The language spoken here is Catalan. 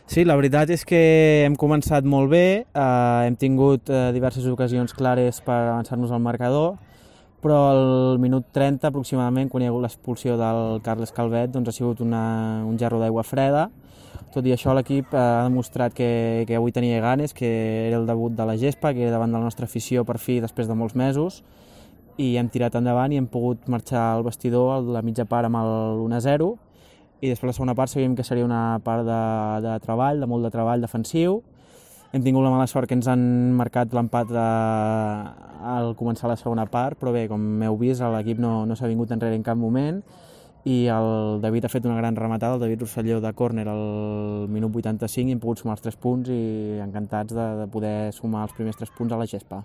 Sí, la veritat és que hem començat molt bé, hem tingut diverses ocasions clares per avançar-nos al marcador, però al minut 30 aproximadament, quan hi ha hagut l'expulsió del Carles Calvet, doncs ha sigut un gerro d'aigua freda. Tot i això, l'equip ha demostrat que avui tenia ganes, que era el debut de la gespa, que era davant de la nostra afició per fi després de molts mesos, i hem tirat endavant i hem pogut marxar al vestidor a la mitja part amb el 1-0, i després la segona part sabíem que seria una part de treball, de molt de treball defensiu. Hem tingut la mala sort que ens han marcat l'empat al començar la segona part, però bé, com heu vist, l'equip no s'ha vingut enrere en cap moment, i el David ha fet una gran rematada, el David Rosselló de córner al minut 85, i hem pogut sumar els 3 punts i encantats de poder sumar els primers 3 punts a la gespa.